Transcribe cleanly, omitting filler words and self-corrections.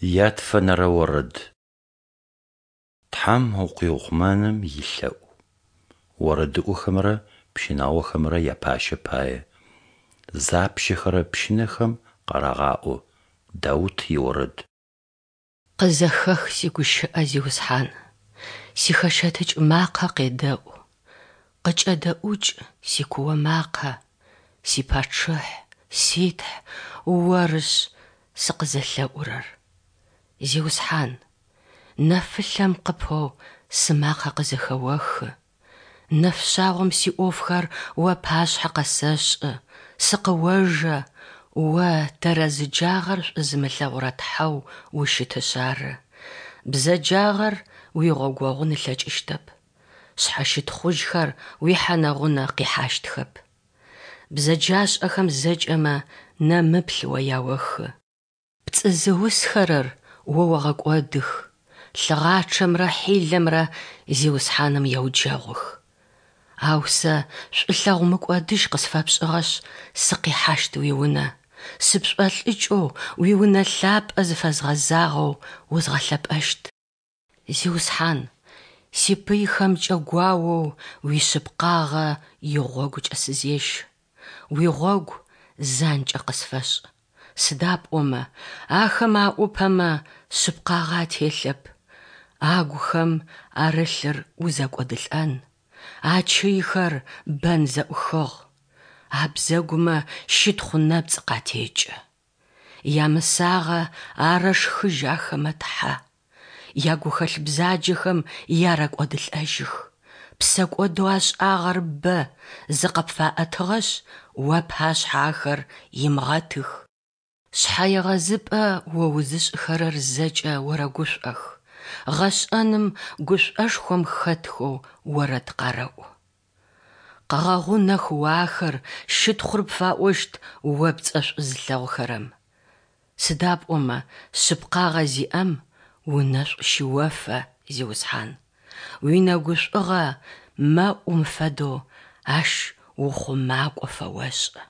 Ятфэнэрэ орэд. Тхьэм укъиухъумэным илъэӏу. Орэдыӏохэмрэ пщынаохэмрэ япащэ пае. Запщэхэрэ пщынэхэм къарагъаӏо. Даут иорэд. Къызэхэх сигущыӏэ, Зиусхьан, сихэщэтыкӏ макъэ къедэӏу. Къыкӏэдэӏукӏ сикуо макъэ, сипачъыхь, си Тхь, Орышъ сыкъызэлъэӏурэр. Зиусхьан, нэфылъэм къыпэу сымакъэ къызэхэохы. Нэфшъагъом сиӏофхэр уапашъхьэ къэсэшӏы, сыкъыожэ, О тэрэзыджагъэр шӏу зымылъэгъурэ Тхьэу ущытышъ ары. Бзэджагъэр уигъогогъун ылъэкӏыщтэп, шъхьэщытхъужьхэр уихьэнэ-гъунэ къихьащтхэп. Бзэджашӏэхэм зэкӏэмэ нэмыплъ о яохы. Пцӏы зыусхэрэр О огъэкӏодых, лъыгъачъэмрэ хьилэмрэ Зиусхьаным еуджэгъух. Ау сэ шӏулъэгъу мыкӏодыжь къысфэпшӏыгъэшъ, сыкъихьащт уиунэ, сыпшӏолӏыкӏэу уиунэ лъапӏэ зыфэзгъэзагъэу узгъэлъэпӏэщт. Зиусхьан, сипыйхэмкӏэ гуаоу уишъыпкъагъэ игъогукӏэ сызещ, уигъогу занкӏэ къысфэшӏ, сыда пӏомэ ахэм аӏупэмэ шъыпкъагъэ ателъэп, агухэм арылъыр узэкӏодылӏэн, ачыйхэр бэн зэӏухыгъ, абзэгумэ щытхъу нэпцӏ къатекӏы. Ямысагъэ арэшхыжь ахэмэ, Тхьэ. Ягухэлъ бзаджэхэм ярэкӏодылӏэжьых. Псэкӏодэу ашӏагъэр бэ, зыкъыпфаӏэтыгъэшъ, уапашъхьэ ахэр имыгъэтых. Шъхьэегъэзыпӏэ о узышӏыхэрэр зэкӏэ орэгушӏох, гъэшӏэным гушӏошхом хэтхэу орэд къарэӏу. Къэгъэгъунэх о ахэр, щытхъур пфаӏощт о пцӏэ шӏу зылъэгъухэрэм. Сыда пӏомэ шъыпкъагъэ зиӏэм унэшӏу щыофэ, Зиусхьан. Уинэгушӏугъэ мэӏум фэдэу ащ ухъумакӏо фэошӏы.